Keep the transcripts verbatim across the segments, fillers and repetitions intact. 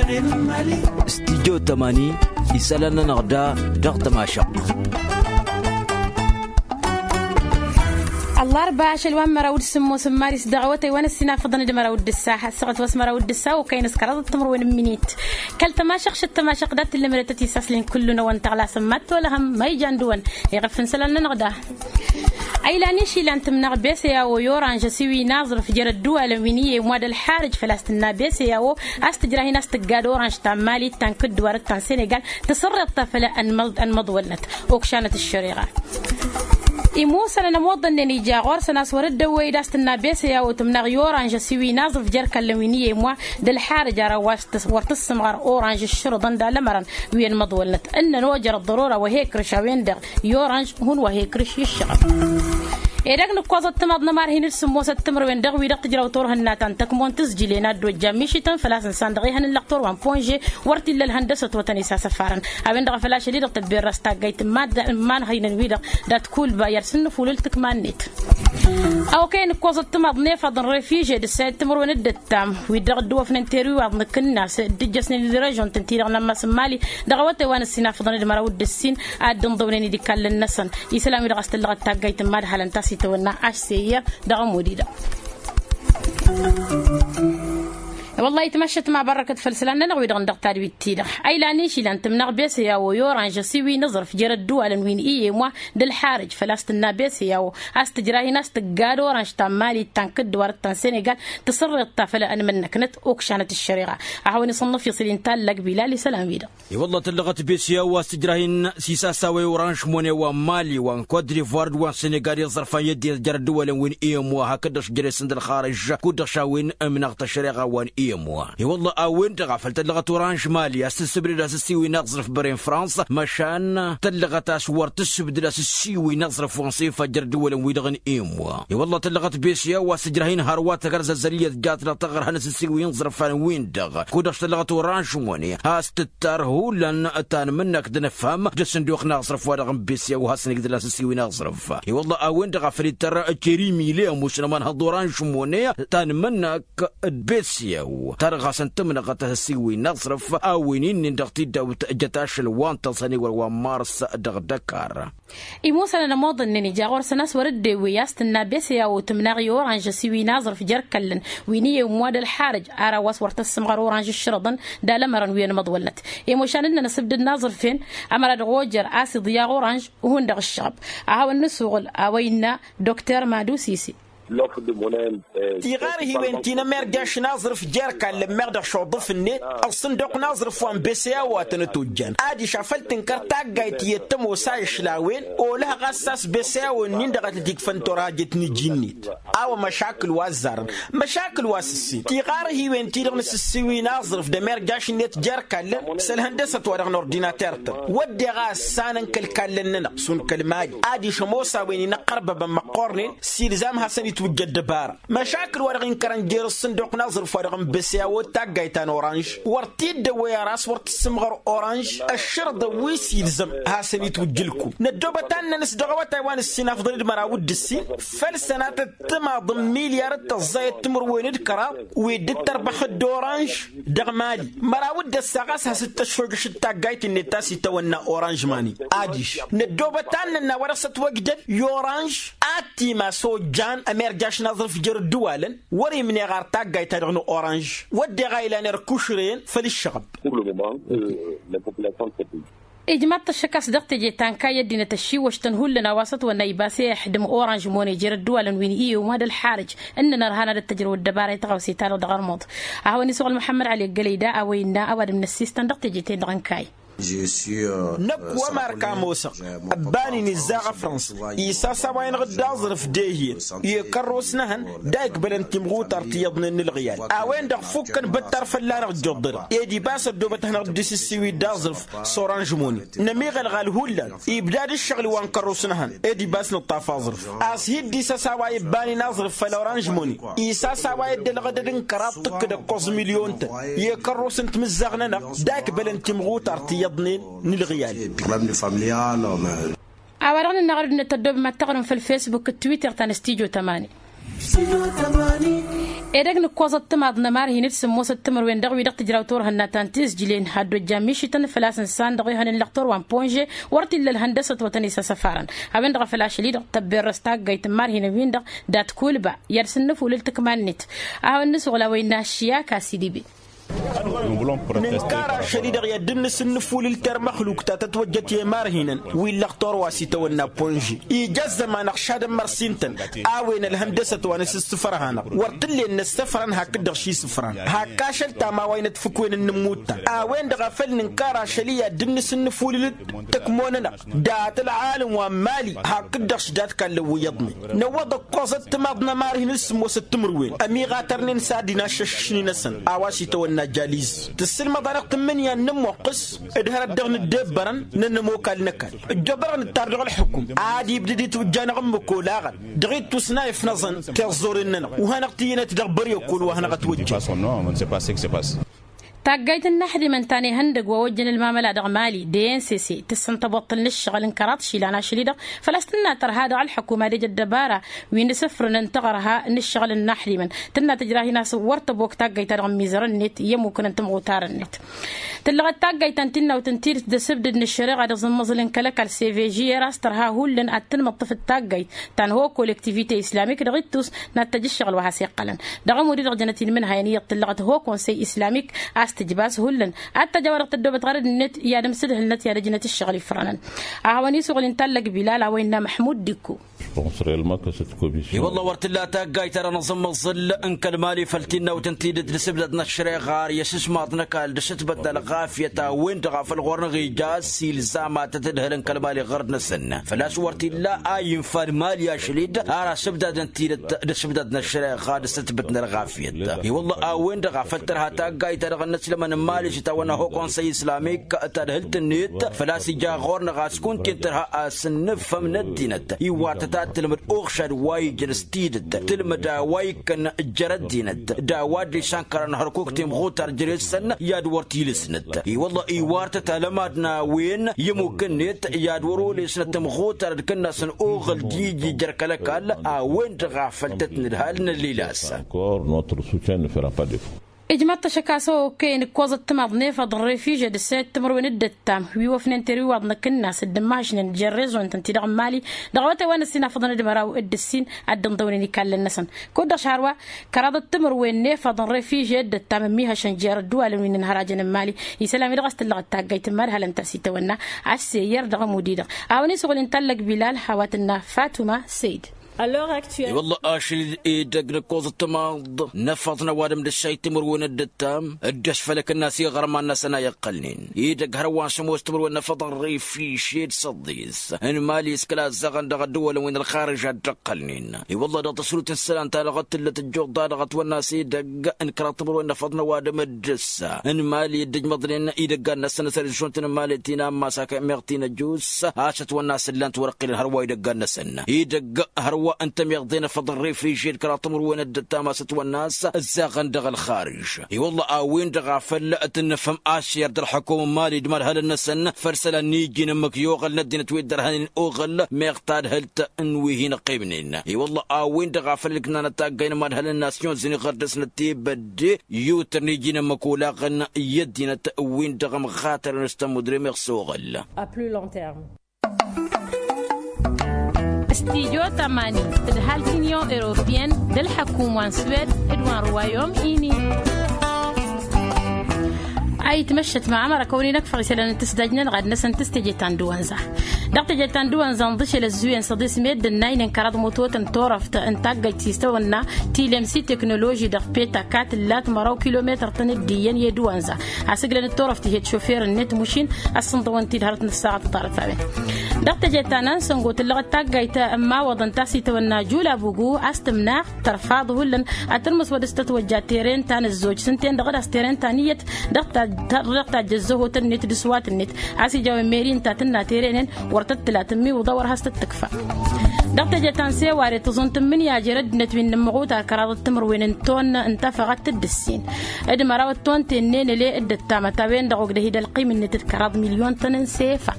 Studyo tămani, isălan-nănăɣ da dăɣ-tămašăɣt. Ăllarba ašăl wa n-măraw d-sǝmmos n-maris dăɣ-awătay wa n-ăssinafăḍăn d-măraw d-ǝssa, ăssaɣăt wa s-măraw d-ǝssa okăyăn s-kăraḍăt timǝrwen n-minit. Kăl-tămašăɣt šăt tămašăɣt dat-tǝllǝmdătăt isaslen kullu-năwăn tăɣlasăn mad-tolăhăm ma ijan dăwăn. Iɣăf n-isălan-nănăɣ da. Ăylan išilan tǝmnăɣ beseyawo i-oranž ăsiwǝy n-aẓrǝf jer-ăddǝwalăn wi n-iyyem wa d-ălxarǝj făl-a-s tǝnna beseyawo a-s tǝjrah-in a-s tǝggad oranž ta n-mali ta n-kǝddǝwar ta n-senegal. Tǝsǝrreḍ ta făll-ănmăḍwălnăt okšanăt ăššăreɣa. Imusănăn ămoḍănnen ija ɣur-săn a-s wăr-dd-ăwwăy-dd a-s tǝnna beseyawo tǝmnăɣ i-oranž ăsiwǝy n-aẓrǝf jer-kallăn wi n-iyyem wa d-ălxarǝj ara wa s-wăr tǝssǝmɣăr oranž ǝššărǝḍăn d-alămărăn. Wi ănmăḍwălnăt ǝnnăn ojăr ăḍḍărora wa he-ikrǝš a-wen-dăɣ i-oranž hun wa he-ikrǝš i-ǝššăɣăb. Edăgg nǝkkoẓăt timaḍ n-ămarhin d-sǝmmosăt timǝrwen dăɣ-wi-dăɣ tǝjraw turhǝnna ta n-tăkmon tǝzjǝlen ad-dd-ojjan mišităn făl-a-s ǝnsan dăɣ-ehăn n-lăqtor wa n-ponže. Wăr t-illa ălhăndăsăt wa tăn-isasăfarăn a-wen-dăɣ a făl ašăl-i-dăɣ tăbberras taggayt n-imanhăynăn-wi-dăɣ dat-kulba i-ad-sǝnnǝfulǝl tǝkma-net. Okăyăn ǝkkoẓăt timaḍ n-efăḍ n-refiže d-ǝssayăt timǝrwen d-ǝttam wi-dăɣ dd-ăwwăfnen teriwaḍ n-akǝnnas dd-ijjăsnen d-režon tǝnti-dăɣ n-ammas n-mali. Dăɣ-awătay wa n-ǝssinafăḍăn d-măraw d-ǝssin ad-dd-ǝnḍăwnen idikallăn-năsăn isălan-wi-dăɣ a-s tǝllăɣăt taggayt n-imadhalăn ta s-itawănna ašse iyyăr dăɣ-ămud-i-dăɣ. Wăllah itmăššăt ma bărrăkăt făll-isălan-nănăɣ wi-dăɣ n-dăɣ-tadwit-ti-dăɣ. Ăylan išilan tǝmnăɣ beseyawo i-oranž ăsiwǝy n-aẓrǝf jer-ădduwalăn wi n-iyyem wa d-ălxarǝj făl-a-s tǝnna beseyawo a-s tǝjrah-in a-s tǝggad oranž ta n-mali ta n-kǝddǝwarăt ta n-senegal. Tǝsǝrreḍ ta făll-ănmǝnnăknăt okšanăt ăššăreɣa. A hawăn-isǝnnǝf isǝl-in tallak bilal isălan-wi-dăɣ. I-wălla tăllăɣăt beseyawo a-s tǝjrah-in s-isasawa i-oranž mone wa n-mali wa n-kot-divoire d-wa n-senegal i-ăẓrăfan i-ăddinăt jer-ăddǝwalăn wi n-iyyem wa hakd-dăɣ s-jere-săn d-ălxarǝj kud-dăɣ šawin ǝmnăɣ tăššăreɣa wa n-iyyem wa. I-wălla a-wen-dăɣ a făl tăllăɣăt oranž mali a-s tǝssǝbdăd a-s ǝssiwǝy n-aẓrǝf băren frans măšan tăllăɣăt a-s wăr tǝssǝbdăd a-s ǝssiwǝy n-aẓrǝf wa n-sefa jer-ăddǝwălăn-wi-dăɣ n-iyyem wa. I-wălla tăllăɣăt beseyawo a-s tǝjrah-in hărwa tăgărzăzăl iyyăt jatnăɣ taɣărha n-asǝssiwǝy n-iẓrǝfan-win-dăɣ kud-dăɣ tăllăɣăt oranž mone has-tǝttar hullan ta n-imǝnnăk d-inǝfham d-asǝnduq n-aẓrǝf wa dăɣ-n beseyawo hasăn-igdăl asǝssiwǝy n-aẓrǝf. I-wălla a-wen-dăɣ a făl ittăr ceri milem usnăman hăḍ oranž mone ta n-imǝnnăk d-beseyawo ta dăɣ-hasăn-tǝmnăɣăt asǝssiwǝy n-aẓrǝf a-wen-in-nin dăɣ-tiddawt jăt ašăl wa n-tăẓhăniwăr wa n-mars dăɣ-dăkar. Imusănăn ămoḍănnen ija ɣur-săn a-s wăr-dd-ewwǝy a-s tǝnna beseyawo tǝmnaɣ i-oranž ăsiwǝy n-aẓrǝf jer-kăllăn wi n-iyyem wa d-ălxarǝj ara wa s-wăr tăssǝmɣăr oranž ǝššărăḍăn d-alămărăn wi ănmăḍwălnăt. Imošan ǝnnăn asǝbdǝd n-aẓrǝf-en ămăra dăɣ-ojăr a-s iḍyaɣ oranž. Hundăɣ ǝššăɣăb a hawăn-nǝsuɣǝl a-wa innă dokter madusisi. Tiɣarhiwen ti n-ămirjaš n-aẓrǝf jer-kallăn meɣ dăɣ-šuḍǝf-net ăṣṣǝnduq n-aẓrǝf wa n-beseyawo a tăn-ătojjan adiš a făl tǝnkăr taggayt iyyăt tămoos a išlawen. Olăh ɣas a-s beseyawo-nin-dăɣ a tăt-ikfăn turhajăt n-iji-net. A-wa măšakǝl wa ăzzarăn măšakǝl wa s-ǝssin tiɣarhiwen-ti-dăɣ n-asǝssiwǝy n-aẓrǝf d-ămirjaš-net jer-kallăn s-ălhăndăsăt wa dăɣ-nordinater-tăn wădden a ăssanăn kăl-kallăn-nănăɣ šund kăl-mali adiš ămoos a-wen inăqqărbăbăn măqqornen s-ilzam hasăn-itwǝjja ăddăbara. Măšakǝl wa dăɣ-inkărăn jer-ǝṣṣǝnduq n-aẓrǝf wa dăɣ-n beseyawo d-taggayt ta n-oranž wăr t-dd-ăwwăy ara a-s wăr tǝssǝmɣăr oranž ăššărḍăn wi s-ilzăm hasăn-itwǝjja ǝlkum. Năddoobăt ad-nănăs dăɣ-awătay wa n-ǝssin afḍăn d-măraw d-ǝssin făll-sănatăt timaḍ n-milyar d-tăẓẓayăt timǝrwen d-kăraḍ wi dd-tărbăx d-oranž. Dăɣ-mali măraw d-ăssaɣ a-s has-dd-tăššojăš d-taggayt-net ta s-itawănna oranž mani. Adiš năddoobăt ad-nănna wa dăɣ-s ătwăjdăd i-oranž ad-t-imas ojjan ămirjaš n-aẓrǝf jer-ǝddǝwalăn. Wăr-imneɣ ar taggayt-ta-dăɣ n-oranž wădden a ilan erk ušrăyăn făll-ǝššăɣăb. Ijmaḍ-t ăššăk a-s dăɣ-teje ta n-kayy ăddinăt ăššiwăš-tăn hullan a-wa s-ătwănna ibas i-ixdǝm oranž mone jer-ădduwalăn wi n-iyyum wa d-ălxarǝj. Ǝnnăn ărhan ad-dd-tăjrăw ăddăbara i-tăɣawse-ta-dăɣ dăɣ-ărmuḍ a hawăn-isuɣǝl muḥămmăd ali ăggălăy da a-wa innă ăwadǝm n-ăssistăn dăɣ-teje-ten-dăɣ n-kayy. Năkk wa marka ămoosăɣ ăbban-in izzaɣ afrăns isasawa-inăɣ d-aẓrǝf d-ehiyăn i-kărros n-ehăn. Da ikbălăn timɣutar ti iyyăḍnen n-ǝlɣǝyal a-wen-dăɣ fukkăn băttar fălla-năɣ ǝjjuḍ-dăɣ ed ibas ăddoobăt ehănăɣ-dd isǝssiwi d-aẓrǝf s-oranž moni. Nămiɣălɣal hullan ibdad ǝššăɣǝl wa n-kărros n-ehăn ed ibas nǝṭṭaf aẓrǝf. A-s hi-dd-isăsawa ibban-in aẓrǝf făll-oranž moni isasawa i-dd-ălɣădăd n-kăraḍ tǝkkǝd ǝkkoẓ milyon-tăn. I-kărros n-timǝzzaɣ-nănăɣ da ikbălăn timɣutar ti iyyăḍnen n-ǝlɣǝyal. A-wa-dăɣ nǝnnaɣ ărdǝnăt tăddoobem ad-tăɣrǝm făll-fesbuk d-twitter ta n-studyo tămani. Edăgg n-ǝkkoẓăt timaḍ n-ămarhin d-sǝmmosăt timǝrwen dăɣ-wi-dăɣ tǝjraw turhǝnna ta n-tizjǝlen ad-dd-ojjan mišităn făl-a-s ǝnsan dăɣ-ehăn ǝllăɣ torwa n-ponže. Wăr t-illa ălhăndăsăt wa tăn-isăsăfarăn a-wen-dăɣ a făl ašăl-i-dăɣ tăbberrăs taggayt n-imarhinăn-win-dăɣ dat-kulba i-ad-sǝnnǝfulǝl tǝkma-net. A hawăn-nǝsuɣǝl a-wa innă ăššiyaka a-s idibin. Nǝnkar ašăl-i-dăɣ i-ad-dd-nǝsǝnnǝfulǝl termăxluk ta tătwăjjăt i-imarhinăn wi ǝllăɣ torwa s-itawănna ponže. Ija ăzzăman ăɣšadăn mărsintăn a-wen ălhăndăsăt wa n-asǝssǝfrăh-anăɣ wăr t-ǝllen năssăfrăn hakd-dăɣ šisǝfran. Hak ašăl tama wa inătfǝkwen n-inǝmmut-ta a-wen-dăɣ a făl nǝnkar ašăl-i ad-dd-nǝsǝnnǝfulǝl tǝkmo-nănăɣ dat-ălɣalăn wa n-mali hakd-dăɣ šdat kallăn wi iyyăḍnen. Năwwăḍ ǝkkoẓăt timaḍ n-ămarhin d-sǝmmosăt timǝrwen ămiɣatărnen s-ad-inaššăššǝšni-năsăn a-wa s-itawănna jaliz. Tǝssǝlmăḍ-anăɣ tǝmmǝnǝya n-inǝmmuqqǝs d-hărăt dăɣ-nǝddebbărăn n-ănmokal n-ăkall ǝjjoḍărăɣ nǝttar dăɣ-ălḥukum ad-ibdǝd itwǝjja-năɣ ǝmmǝk olaɣăn dăɣ-ittus n-a ifnăẓăn tiẓẓuren-nănăɣ. Wa hanăɣ-tǝyyǝnet dăɣ-bări ăkall wa hanăɣ-ătwăjjăn. Taggayt n-inaxdimăn ta n-ihăndăg wa ojjăn ălmamăla dăɣ-mali d-e n s s tǝssǝn tăboṭṭǝl n-ǝššăɣǝl n-kăraḍ išilan ašăl-i-dăɣ făl-a-s tǝnna tărha dăɣ-ălḥăkum ad-ejăd dăbara wi n-asǝfrǝnăn taɣărha n-ǝššăɣǝl n-inaxdimăn. Tǝnna tǝjrah-in a-s wăr tăbok taggayt-ta-dăɣ n-imizărăn-net i-ămmukăn n-timɣutarăn-net. Tǝllăɣăt taggayt ta n-tinnawt n-tidǝt d-asǝbdǝd n-ăššăreɣa d-aẓǝmmăẓǝl n-kăl-ăkall s-e v g era a-s tărha hullan ad-tǝnmăḍtăf d-taggayt ta n-ho kollektivite islamik dăɣ-ittus n-ad-tăj ǝššăɣǝl wa has-iqqălăn. Dăɣ-ămud-i-dăɣ jănăt-in imǝnhayăn iyyăḍ tǝllăɣăt ho konsey islamik a-s tǝjba a-s hullan ad-tăj a-wa-dăɣ tăddoobăt ɣărăd-net i-ad-ǝmsǝdhǝlnăt i-ad-ăjnăt ǝššăɣǝl ifrănăn. A hawăn-isuɣǝl intallăg bilal a-wa innă măḥmud dikku. I-wălla wăr t-tǝlla taggayt-ta-dăɣ n-aẓǝmmăẓǝl n-kăl-mali făll-tinnawt n-tidǝt d-asǝbdad n-ăššăreɣa ar i-asǝsmaḍ n-ăkall d-asǝtbăt n-ălɣafyăt a-wen-dăɣ a făl ɣur-năɣ ija a-s ilzam ad-tăt-ǝdhǝlăn kăl-mali ɣărd-năsăn. Făl-a-s wăr t-illa a infa n-mali ašăl-i-dd ar asǝbdad n-tidǝt d-asǝbdad n-ăššăreɣa d-asǝtbăt n-ălɣafyăt. I-wălla a-wen-dăɣ a făl tărha taggayt-ta-dăɣ n-inăslămăn n-mali s-itawănna ho konsăy islamik tadhǝlt-net. Făl-a-s ija ɣur-năɣ a-s kunta-en tărha a-s ǝnnǝffăm n-ăddinăt iwartăt ad-tǝlmǝd uɣšad wa ijăn s-tidǝt tǝlmǝd a-wa ikkăn jer-ăddinăt d-a-wa dd-išankărăn hărkuk timɣutar jere-săn i-ad-wăr t-ilǝsnăt. I-wălla iwartăt alămad n-a-wen i-ămmuk-net i-ad-wăr-olesnăt timɣutar d-kănnasăn oɣǝl d-iji jer-kăl-ăkall a-wen-dăɣ a făl tăt-nǝdhal n-ăllilas. Ijmaḍ-t ašăk a-s okăyăn ǝkkoẓăt timaḍ n-efăḍ n-refiže d-ǝssăyăt timǝrwen d-ăttam wi wăfnen teriwaḍ n-akǝnnas dd-ǝmmăhăšnen jer-rezo-nătăn-ti-dăɣ n-mali dăɣ-awătay wa n-ăssin afăḍăn d-măraw d-ǝssin ad-dd-ǝnḍăwnen ikallen-năsăn. Kud-dăɣ šarwa kăraḍăt timǝrwen n-efăḍ n-refiže d-ăttam ămmiihăšăn jer-ădduwalăn wi n-inhărajăn n-mali. Isălan-wi-dăɣ a-s tǝllăɣăt taggayt n-imadhalăn ta s-itawănna a-s seyyer dăɣ-ămud-i-dăɣ a-wen isuɣǝl intallăg bilal hawat-ǝnna fatuma seyd. I-wălla ašăl edăgg n-ǝkkoẓăt timaḍ n-efăḍ n-ăwadǝm d-ǝššayt timǝrwen d-ǝttam dd-ăšfălăk ǝnnas iɣărman-năsăn a iqqălnen. Edăgg hărwa n-sămoos timǝrwen n-efăḍ n-refiše d-săḍis n-mali s-kăla ăzzaɣăn dăɣ-ădduwălăn wi n-ălxarǝž a dd-ǝqqălnen. I-wălla dăɣ-tăsrut n-isălan-ta-dăɣ d-tǝllăt ăjjuḍ-ta-dăɣ ătwănna s-edăgg n-kăraḍ timǝrwen n-efăḍ n-ăwadǝm d-ǝssa n-mali dd-ǝjmăḍnen idăggan-năsăn s-ărižžunt n-mali ti n-ammas akămeɣ ti n-ăjus a-s ătwănna s-ǝllan-t wăr-ăqqilăn hărwa idăggan-năsăn. Idăgg hărwa n-tămeḍe n-efăḍ n-refiže d-kăraḍ timǝrwen d-ǝttam a-s ătwănna a-s ǝzzaɣăn dăɣ-ălxarǝž. I-wălla a-wen-dăɣ a făl tǝnnǝfăm ašyăr d-ălḥăkum n-mali d-imadhălăn-năsăn făll-isălan n-iji n-ǝmmǝk i-oɣăl n-ăddinăt wi dd-ărhănen oɣăl meɣ tadhǝlt n-wi hin-ăqqimnen. I-wălla a-wen-dăɣ a făl ǝlkǝnanăt taggay n-imadhălăn n-asyon-zǝn iɣăr dăr-snăt tebădde yutǝr n-iji n-ǝmmǝk olaɣăn i-ăddinăt wi n-dăɣ-ămɣatărăn s-tămmudre meɣ s-oɣăl. Stijo tămani tǝdhal tinion europiyăn d-ălḥăkum wa n-swed d-wa n-ruwayom ini. A itmăššăt măɣamăr ăkăwăn-in-ăkfăɣ isălan n-tǝsdaj-nănăɣ ad-năsăn tǝstǝje ta n-dăwănza dăɣ-tǝje ta n-dăwănza ǝnḍǝšel ăzzuyen săḍis meddǝn n-aynen kăraḍ mutotăn torăft n-taggăjt s-tăwănna tilem s-iteknoloži dăɣ-peta kat ǝllat măraw kilometăr-tăn dd-iyyăn i-dăwănza. Asǝglăn d-torăft ihed šofer-net mušin ăssǝnḍăwăn-t-dd hărăt n-ăssaɣăt ǝḍarăt a-wen. Dăɣ-tǝje ta n-ansăngo tǝllăɣăt taggayt n-imawăḍăn ta s-itawănna jul abugu a-s tǝmnaɣ tărfaḍ hullan ad-tǝlmǝs wăr dăr-s tătwăjja teren ta n-ăzzoj s-ǝnta-en-dăɣ d-a-s teren ta n-iyyăt. Dăɣ-tajj ăzzăhotăn-net d-ăswatăn-net a-s ija a-wen meri ǝnta tǝnna teren-en wăr tăt-tǝla tǝmmiwǝḍa wăr has-tăt-tǝkfa. Dăɣ-teje ta n-seware tǝẓunt n-imǝnyajer ăddinăt wi n-inǝmmăɣuta kăraḍăt timǝrwen n-tonnă n-tafăɣăt d-ǝssin d-măraw d-tonte n-enăle d-ăttamăt a-wen-dăɣ ogdăh-i d-ălqim-net d-kăraḍ milyon tăn-n-sefa.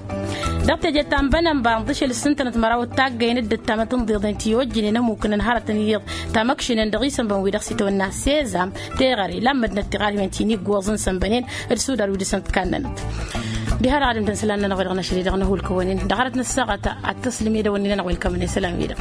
Dăɣ-teje ta n-bănănba ǝnḍǝšel s-ǝntănăt măraw d-taggăyăn d-ăttamăt ǝnḍiḍen ti ojjǝnen ămukǝn ănhărătăn iyyăḍ tamăkšǝnen dăɣ-isănbăn wi-dăɣ s-itwănna sezam teɣăre lammădnăt tiɣarhiwen ti n-iggoẓ n-isănbănen d-sudar wi dăɣ-săn t-kannănăt. Diha-dăɣ ad-ǝntăn isălan-nănăɣ wi dăɣ-năšăl i-dăɣ năhulkăwăn-in dăɣ-hărăt n-ăssaɣăt ad-tăslǝm i-dăwănni-nănăɣ wa ǝlkămăn isălan-wi-dăɣ.